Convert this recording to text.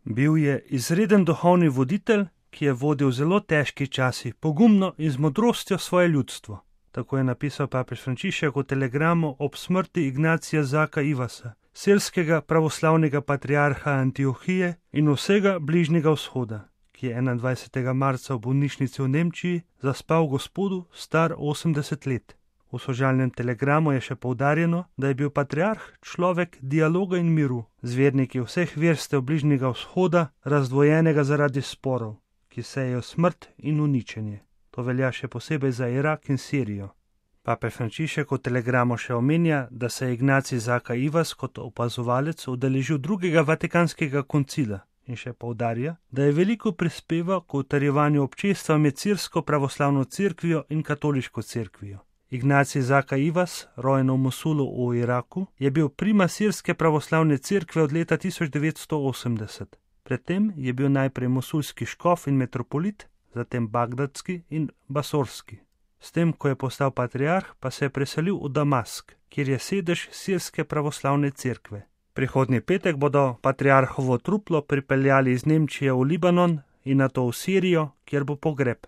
Bil je izreden duhovni voditelj, ki je vodil zelo težki časi, pogumno in z modrostjo svoje ljudstvo. Tako je napisal papež Frančišek v telegramu ob smrti Ignacija Zaka Ivasa, sirskega pravoslavnega patriarha Antiohije in vsega Bližnjega vzhoda, ki je 21. marca v bolnišnici v Nemčiji zaspal v Gospodu star 80 let. V sožalnem telegramu je še poudarjeno, da je bil patriarh človek dialoga in miru, z verniki vseh verstev Bližnjega vzhoda, razdvojenega zaradi sporov, ki sejejo smrt in uničenje. To velja še posebej za Irak in Sirijo. Papež Frančišek v telegramu še omenja, da se je Ignacij Zaka Ivas kot opazovalec udeležil drugega vatikanskega koncila in še poudarja, da je veliko prispeval k utrjevanju občestva med sirsko pravoslavno cerkvijo in katoliško cerkvijo. Ignacij Zaka Ivas, rojen v Mosulu v Iraku, je bil primas sirske pravoslavne cerkve od leta 1980. Predtem je bil najprej mosulski škof in metropolit, zatem bagdadski in basorski. S tem, ko je postal patriarh, pa se je preselil v Damask, kjer je sedež sirske pravoslavne cerkve. Prihodnji petek bodo patriarhovo truplo pripeljali iz Nemčije v Libanon in nato v Sirijo, kjer bo pogreb.